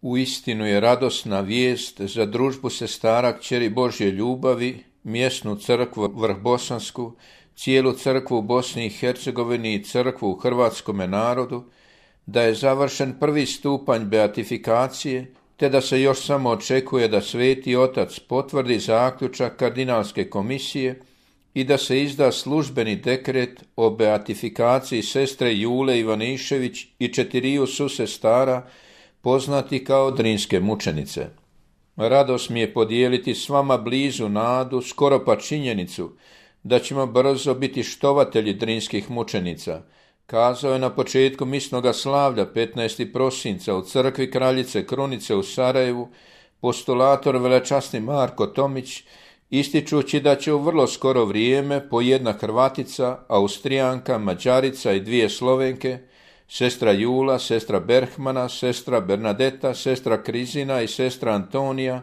Uistinu je radosna vijest za družbu sestara kćeri Božje ljubavi, mjesnu crkvu Vrhbosansku, cijelu crkvu u Bosni i Hercegovini i crkvu u hrvatskome narodu, da je završen prvi stupanj beatifikacije, te da se još samo očekuje da Sveti Otac potvrdi zaključak kardinalske komisije i da se izda službeni dekret o beatifikaciji sestre Jule Ivanišević i 4 susestara poznati kao Drinske mučenice. Radost mi je podijeliti s vama blizu nadu, skoro pa činjenicu, da ćemo brzo biti štovatelji Drinskih mučenica, kazao je na početku misnoga slavlja 15. prosinca u crkvi Kraljice Krunice u Sarajevu postulator velečasni Marko Tomić, ističući da će u vrlo skoro vrijeme po jedna Hrvatica, Austrijanka, Mađarica i 2 Slovenke, sestra Jula, sestra Berhmana, sestra Bernadeta, sestra Krizina i sestra Antonija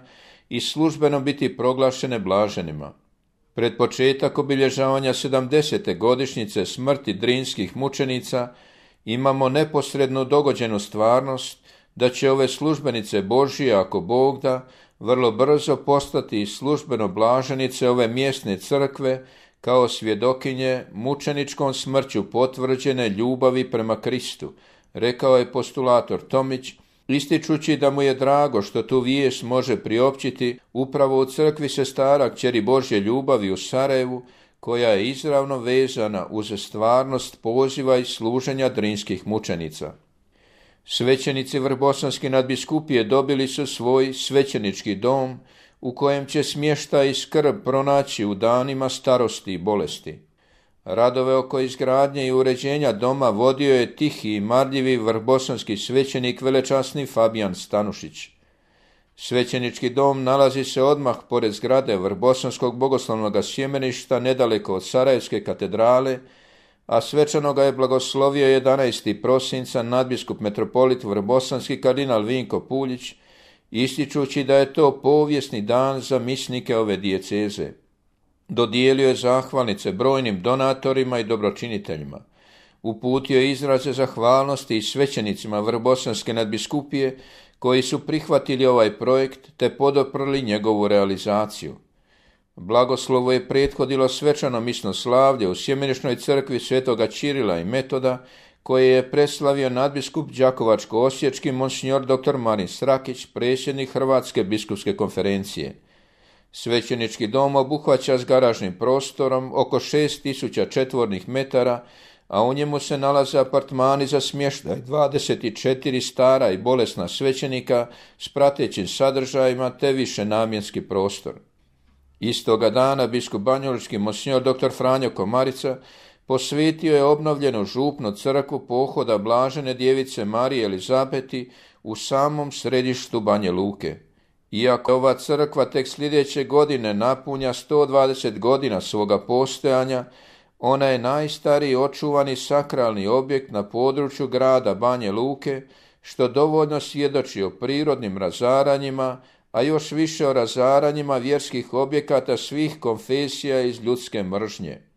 i službeno biti proglašene blaženima. Pred početak obilježavanja 70. godišnjice smrti Drinskih mučenica imamo neposredno dogođenu stvarnost da će ove službenice Božije, ako Bog da, vrlo brzo postati službeno blaženice ove mjesne crkve kao svjedokinje mučeničkom smrću potvrđene ljubavi prema Kristu, rekao je postulator Tomić, ističući da mu je drago što tu vijest može priopćiti upravo u crkvi sestara kćeri Božje ljubavi u Sarajevu, koja je izravno vezana uz stvarnost poziva i služenja Drinskih mučenica. Svećenici Vrhbosanske nadbiskupije dobili su svoj svećenički dom u kojem će smještaj i skrb pronaći u danima starosti i bolesti. Radove oko izgradnje i uređenja doma vodio je tihi i marljivi vrhbosanski svećenik velečasni Fabijan Stanušić. Svećenički dom nalazi se odmah pored zgrade Vrhbosanskog bogoslovnog sjemeništa nedaleko od Sarajevske katedrale, a svečano ga je blagoslovio 11. prosinca nadbiskup metropolit Vrhbosanski kardinal Vinko Puljić, ističući da je to povijesni dan za misnike ove dijeceze. Dodijelio je zahvalnice brojnim donatorima i dobročiniteljima. Uputio je izraze zahvalnosti i svećenicima Vrhbosanske nadbiskupije koji su prihvatili ovaj projekt te podoprli njegovu realizaciju. Blagoslovo je prethodilo svečano misno slavlje u sjemenišnoj crkvi svetoga Čirila i Metoda, koje je preslavio nadbiskup Đakovačko-osječki monsignor dr. Marin Srakić, predsjednik Hrvatske biskupske konferencije. Svećenički dom obuhvaća s garažnim prostorom oko 6000 četvornih metara, a u njemu se nalaze apartmani za smještaj 24 stara i bolesna svećenika s pratećim sadržajima te višenamjenski prostor. Istoga dana biskup banjalučki monsignor dr. Franjo Komarica posvetio je obnovljenu župnu crkvu pohoda blažene djevice Marije Elizabeti u samom središtu Banja Luke. Iako ova crkva tek sljedeće godine napunja 120 godina svoga postojanja, ona je najstariji očuvani sakralni objekt na području grada Banja Luke, što dovoljno svjedoči o prirodnim razaranjima, a još više o razaranjima vjerskih objekata svih konfesija iz ljudske mržnje.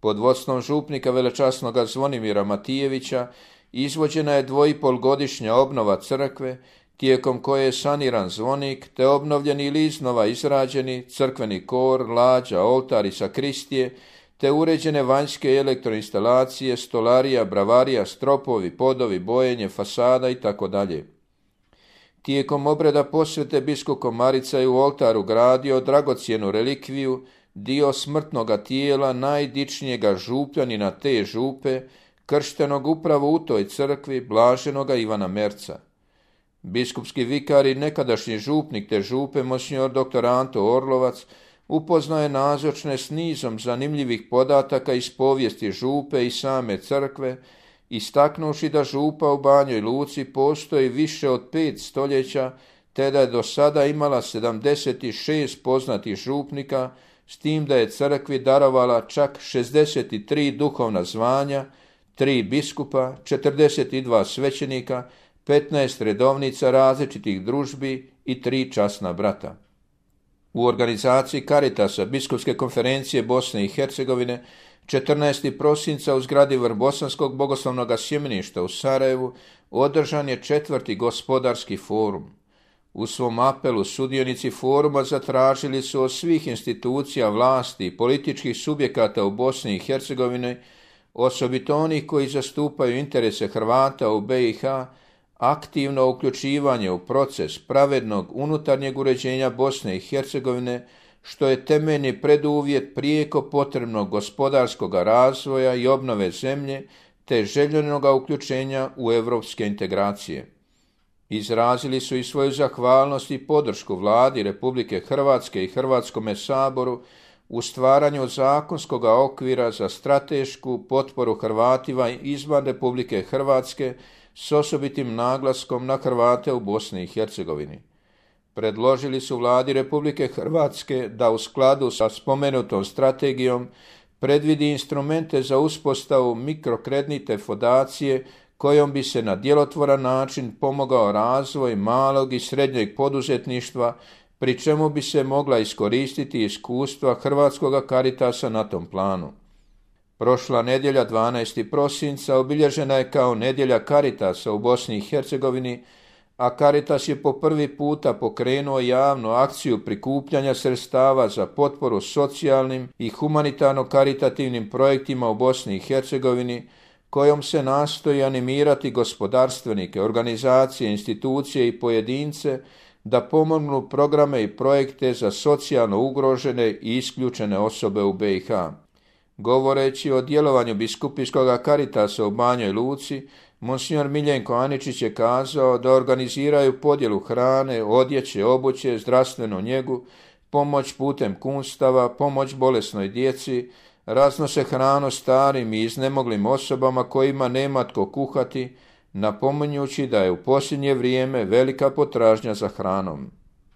Pod vodstvom župnika velečasnoga Zvonimira Matijevića izvođena je 2,5-godišnja obnova crkve, tijekom koje je saniran zvonik te obnovljeni ili iznova izrađeni crkveni kor, lađa, oltar i sakristije, te uređene vanjske elektroinstalacije, stolarija, bravarija, stropovi, podovi, bojenje, fasada itd. Tijekom obreda posvete biskup Komarica je u oltaru gradio dragocjenu relikviju, dio smrtnoga tijela najdičnijega župljanina te župe, krštenog upravo u toj crkvi, blaženoga Ivana Merca. Biskupski vikar i nekadašnji župnik te župe, monsignor dr. Anto Orlovac, upoznao je nazočne s nizom zanimljivih podataka iz povijesti župe i same crkve, istaknuši da župa u Banjoj Luci postoji više od 5 stoljeća, te da je do sada imala 76 poznatih župnika, s tim da je crkvi darovala čak 63 duhovna zvanja, 3 biskupa, 42 svećenika, 15 redovnica različitih družbi i 3 časna brata. U organizaciji Caritasa Biskupske konferencije Bosne i Hercegovine 14. prosinca u zgradi Vrbosanskog bogoslovnog sjemeništa u Sarajevu održan je 4. gospodarski forum. U svom apelu sudionici foruma zatražili su od svih institucija vlasti i političkih subjekata u Bosni i Hercegovini, osobito onih koji zastupaju interese Hrvata u BiH, aktivno uključivanje u proces pravednog unutarnjeg uređenja Bosne i Hercegovine, što je temeljni preduvjet prijeko potrebnog gospodarskog razvoja i obnove zemlje, te željenog uključenja u europske integracije. Izrazili su i svoju zahvalnost i podršku Vladi Republike Hrvatske i Hrvatskome saboru u stvaranju zakonskog okvira za stratešku potporu Hrvatima izvan Republike Hrvatske s osobitim naglaskom na Hrvate u Bosni i Hercegovini. Predložili su Vladi Republike Hrvatske da u skladu sa spomenutom strategijom predvidi instrumente za uspostavu mikrokreditne fondacije kojom bi se na djelotvoran način pomogao razvoj malog i srednjeg poduzetništva, pri čemu bi se mogla iskoristiti iskustva Hrvatskog Caritasa na tom planu. Prošla nedjelja 12. prosinca obilježena je kao nedjelja Caritasa u Bosni i Hercegovini, a Caritas je po prvi puta pokrenuo javnu akciju prikupljanja sredstava za potporu socijalnim i humanitarno-karitativnim projektima u Bosni i Hercegovini, kojom se nastoji animirati gospodarstvenike, organizacije, institucije i pojedince da pomognu programe i projekte za socijalno ugrožene i isključene osobe u BiH. Govoreći o djelovanju biskupijskog Caritasa u Banjoj Luci, monsignor Miljenko Aničić je kazao da organiziraju podjelu hrane, odjeće, obuće, zdravstvenu njegu, pomoć putem kunstava, pomoć bolesnoj djeci, raznose hranu starim i iznemoglim osobama kojima nema tko kuhati, napominjući da je u posljednje vrijeme velika potražnja za hranom.